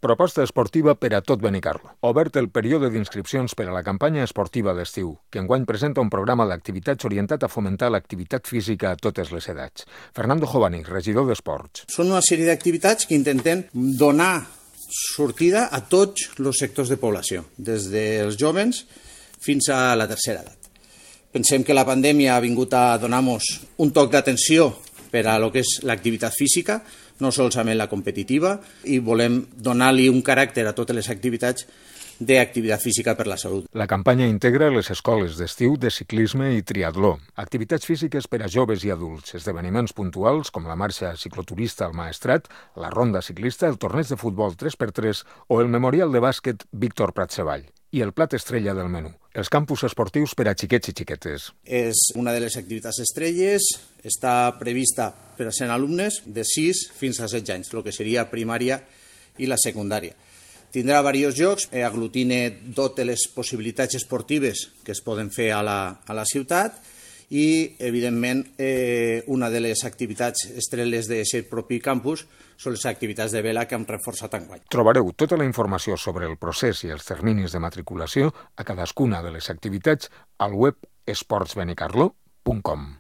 Proposta esportiva per a tot Benicarló. Obert el període d'inscripcions per a la campanya esportiva d'estiu, que enguany presenta un programa d'activitats orientat a fomentar l'activitat física a totes les edats. Fernando Jovani, regidor d'Esports. Són una sèrie d'activitats que intentem donar sortida a tots els sectors de població, des dels jovens fins a la tercera edat. Pensem que la pandèmia ha vingut a donar-nos un toc d'atenció per a lo que és l'activitat física, no solament la competitiva, i volem donar-li un caràcter a totes les activitats d'activitat física per la salut. La campanya integra les escoles d'estiu de ciclisme i triatló, activitats físiques per a joves i adults, esdeveniments puntuals com la marxa cicloturista al Maestrat, la ronda ciclista, el torneig de futbol 3x3 o el memorial de bàsquet Víctor Pratxevall i el plat estrella del menú, els campus esportius per a xiquets i xiquetes. És una de les activitats estrelles, està prevista per a 100 alumnes de 6 fins a 16 anys, el que seria primària i la secundària. Tindrà diversos jocs, aglutina totes les possibilitats esportives que es poden fer a la ciutat i, evidentment, una de les activitats estrelles d'aquest propi campus són les activitats de vela que hem reforçat enguany. Trobareu tota la informació sobre el procés i els terminis de matriculació a cadascuna de les activitats al web esportsbenicarlo.com.